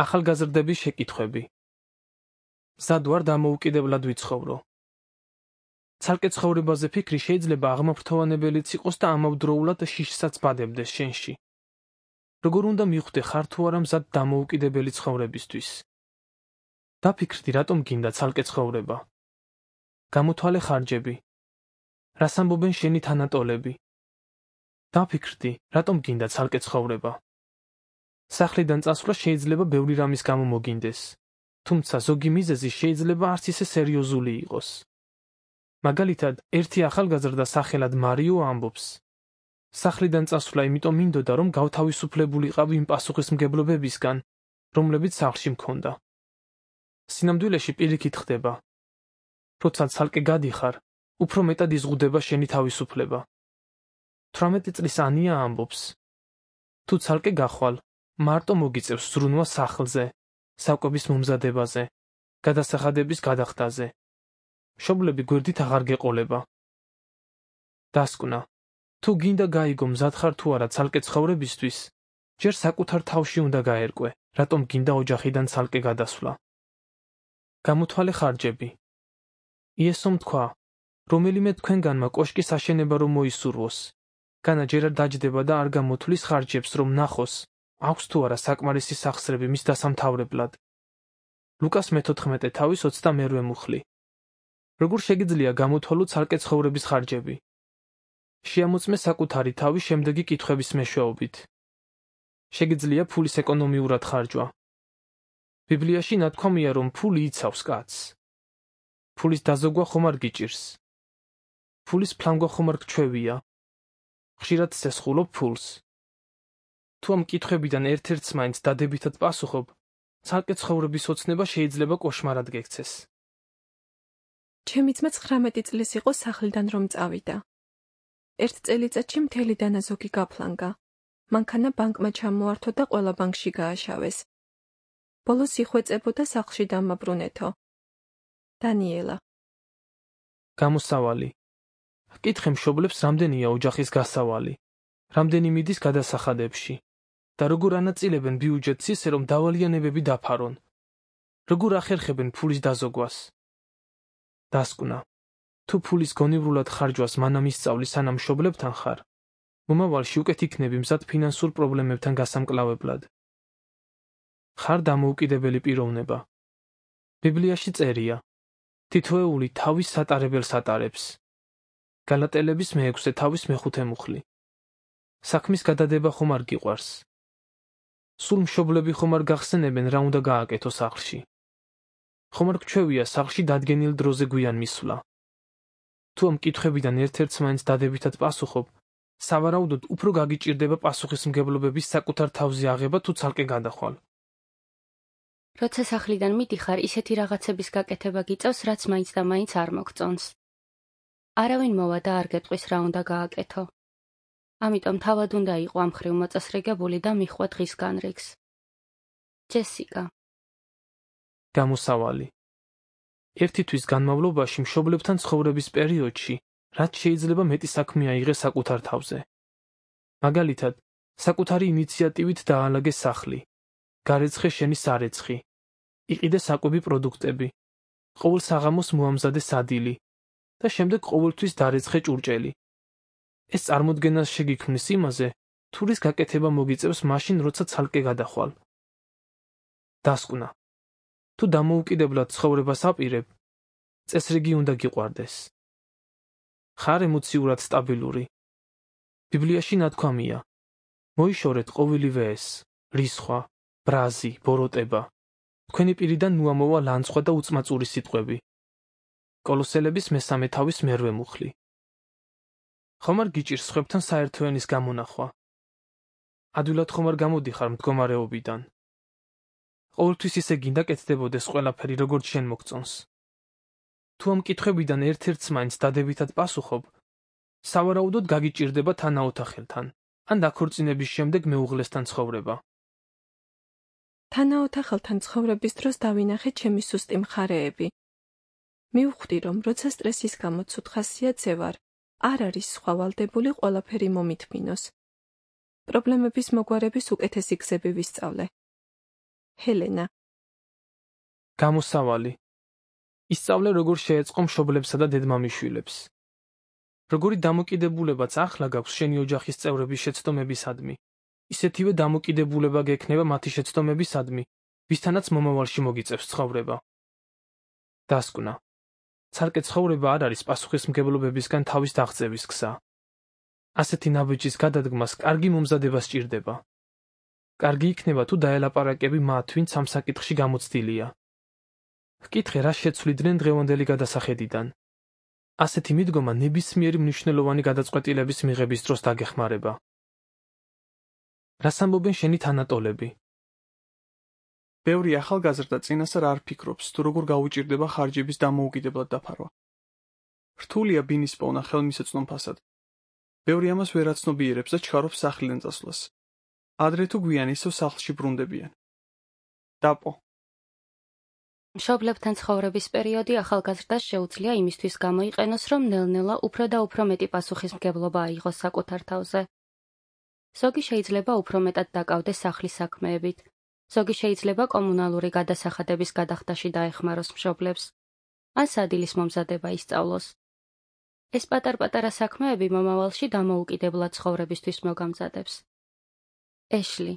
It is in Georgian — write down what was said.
ახალგაზრდების შეკითხვები. მზად ვარ დამოუკიდებლად ვიცხოვრო. ცალკე ცხოვრებაზე ფიქრი შეიძლება აღმაფრთოვანებელიც იყოს და ამავდროულად შიშსაც ბადებდეს შენში. როგორ უნდა მივხვდე ხარ თუ არა მზად დამოუკიდებელი ცხოვრებისთვის? დაფიქრდი, რატომ გინდა ცალკე ცხოვრება? გამოთვალე ხარჯები. რას ამბობენ შენი თანატოლები? დაფიქრდი, რატომ გინდა ცალკე ცხოვრება? სახლიდან წასვლა შეიძლება ბევრი რამის გამო მოგინდეს, თუმცა ზოგი მიზეზი შეიძლება არც ისე სერიოზული იყოს. მაგალითად, ერთი ახალგაზრდა სახელად მარიო ამბობს: სახლიდან წასვლა იმიტომ მინდოდა, რომ გავთავისუფლებულიყავ იმ პასუხისმგებლობებისგან, რომლებიც სახლში მქონდა. სინამდვილეში პირიქით ხდება. როცა ცალკე გადიხარ, უფრო მეტად იზღუდება შენი თავისუფლება. 18 წლის ანია ამბობს: თუ ცალკე გახვალ, მარტო მოგიწევს ზრუნვა სახლზე, საკვების მომზადებაზე, გადასახადების გადახდაზე. მშობლები გვერდით აღარ გეყოლება. დასკვნა: თუ გინდა გაიგო მზად ხარ თუ არა ცალკე ცხოვრებისთვის, ჯერ საკუთარ თავში უნდა გაერკვე, რატომ გინდა ოჯახიდან ცალკე გადასვლა. გამოთვალე ხარჯები. იესომ თქვა, რომელიმე თქვენგანმა კოშკის აშენება რომ მოისურვოს, განა ჯერ არ დაჯდება და არ გამოთვლის ხარჯებს, რომ ნახოს, აქვს თუ არა საკმარისი სახსრები მის დასამთავრებლად. ლუკას მე-14 თავის 28 მუხლი. როგორ შეგიძლია გამოთვალო ცალკე ცხოვრების ხარჯები? შეამოწმე საკუთარი თავი შემდეგი კითხვების მეშვეობით. შეგიძლია ფულის ეკონომიურად ხარჯვა? ბიბლიაში ნათქვამია, რომ ფული იცავს კაცს. ფულის დაზოგვა ხომ არ გიჭირს? ფულის ფლანგვა ხომ არ გჩვევია? ხშირად სესხულობ ფულს. თუ ამ კითხვებიდან ერთ-ერთს მაინც დადებითად პასუხობ, ცალკე ცხოვრების ოცნება შეიძლება კოშმარად გექცეს. ჩემი ძმა 19 წლის იყო სახლიდან რომ წავიდა. ერთ წელიწადში მთელი დანაზოგი გაფლანგა. მანქანა ბანკმა ჩამოართო და ყველა ბანკში გააშავეს. ბოლოს იხვეწებოდა სახლში დამაბრუნეთო. დანიელა. გამოსავალი. კითხე მშობლებს, რამდენია ოჯახის გასავალი, რამდენი მიდის გადასახადებში და როგორ ანაწილებენ ბიუჯეტს ისე, რომ დავალიანებები დაფარონ. როგორ ახერხებენ ფულის დაზოგვას. დასკვნა: თუ ფულის გონივრულად ხარჯვას მანამ ისწავლი, სანამ მშობლებთან ხარ, მომავალში უკეთ იქნები მზად ფინანსურ პრობლემებთან გასამკლავებლად. ხარ დამოუკიდებელი პიროვნება. ბიბლიაში წერია: თითოეული თავის სატარებელს ატარებს. გალატელების მე-6 თავის მე-5 მუხლი. საქმის გადადება ხომ არ გიყვარს? სულ მშობლები ხომ არ გახსენებენ, რა უნდა გააკეთო სახლში? ხომ არ გჩვევია სახლში დადგენილ დროზე გვიან მისვლა? თუ ამ კითხვებიდან ერთ-ერთს მაინც დადებითად პასუხობ, სავარაუდოდ უფრო გაგიჭირდება პასუხისმგებლობების საკუთარ თავზე აღება თუ ცალკე გადახვალ. როცა სახლიდან მიდიხარ, ისეთი რაღაცების გაკეთება გიწევს, რაც მაინც და მაინც არ მოგწონს. არავინ მოვა და არ გეტყვის რა უნდა გააკეთო. ამიტომ თავად უნდა იყო ამ ხრივ მოწესრიგებული და მიჰყვა დღის განრიგს. ჯესიკა. გამოსავალი. ერთი თვის განმავლობაში მშობლებთან ცხოვრების პერიოდში, რაც შეიძლება მეტი საქმე აიღე საკუთარ თავზე. მაგალითად, საკუთარი ინიციატივით დაალაგე სახლი, გარეცხე შენი სარეცხი, იყიდე საკვები პროდუქტები, ყოველ საღამოს მოამზადე სადილი და შემდეგ ყოველთვის დარეცხე ჭურჭელი. ეს წარმოდგენას შეგიქმნის იმაზე, თუ რის გაკეთება მოგიწევს მაშინ, როცა ცალკე გადახვალ. დასკვნა: თუ დამოუკიდებლად ცხოვრებას აპირებ, წესრიგი უნდა გიყვარდეს. ხარ ემოციურად სტაბილური. ბიბლიაში ნათქვამია: მოიშორეთ ყოველივე ეს, რისხვა, ბრაზი, ბოროტება. თქვენი პირიდან მოამოვა ლანცხვა და უწმაწური სიტყვები. კოლოსელების 3 თავის მე-8 მუხლი. ხომ არ გიჭირს სხვებთან საერთო ენის გამონახვა? ადვილად ხომ არ გამოდიხარ მდგომარეობიდან? ყოველთვის ისე გინდა კეთდებოდეს ყველაფერი, როგორც შენ მოგწონს? თუ ამ კითხვებიდან ერთ-ერთს მაინც დადებითად პასუხობ, სავარაუდოდ გაგიჭირდება თანაოთახელთან, ან დაქორწინების შემდეგ მეუღლესთან ცხოვრება. თანაოთახელთან ცხოვრების დროს დავინახე ჩემი სუსტი მხარეები. მივხვდი, რომ როცა სტრესის გამო ცუდ ხასიათზე ვარ, არ არის სხვა ვალდებული ყველაფერი მომითმინოს. პრობლემების მოგვარების უკეთესი გზები ვისწავლე. ჰელენა. გამოსავალი. ისწავლე როგორ შეეწყო მშობლებსა და დედმამიშვილებს. როგორი დამოკიდებულებაც ახლა გაქვს შენი ოჯახის წევრების შეცდომებისადმი, ისეთივე დამოკიდებულება გექნება მათი შეცდომებისადმი, ვისთანაც მომავალში მოგიწევს ცხოვრება. დასკვნა. ცალკე ცხოვრება არ არის პასუხისმგებლობებისგან თავის დაღწევის გზა. ასეთი ნაბიჯის გადადგმას კარგი მომზადება სჭირდება. კარგი იქნება თუ დაელაპარაკები მათ, ვინც ამ საკითხში გამოცდილია. ჰკითხე, რა შეცვლიდნენ დღევანდელი გადასახედიდან. ასეთი მიდგომა ნებისმიერი მნიშვნელოვანი გადაწყვეტილების მიღების დროს დაგეხმარება. რას ამბობენ შენი თანატოლები? ბევრი ახალგაზრდა წინასწარ არ ფიქრობს, თუ როგორ გაუჭირდება ხარჯების დამოუკიდებლად დაფარვა. რთულია ბინის პოვნა ხელმისაწვდომ ფასად. ბევრი ამას ვერ აცნობიერებს და ჩქარობს სახლიდან წასვლას. ადრე თუ გვიან ისევ სახლში ბრუნდებიან. დაპო. მშობლებთან ცხოვრების პერიოდი ახალგაზრდას შეუძლია იმისთვის გამოიყენოს, რომ ნელ-ნელა უფრო და უფრო მეტი პასუხისმგებლობა აიღოს საკუთარ თავზე. ზოგი შეიძლება უფრო მეტად დაკავდეს სახლის საქმეებით, ზოგი შეიძლება კომუნალური გადასახადების გადახდაში დაეხმაროს მშობლებს, ან სადილის მომზადება ისწავლოს. ეს პატარ-პატარა საქმეები მომავალში დამოუკიდებლად ცხოვრებისთვის მოგამზადებს. ეშლი,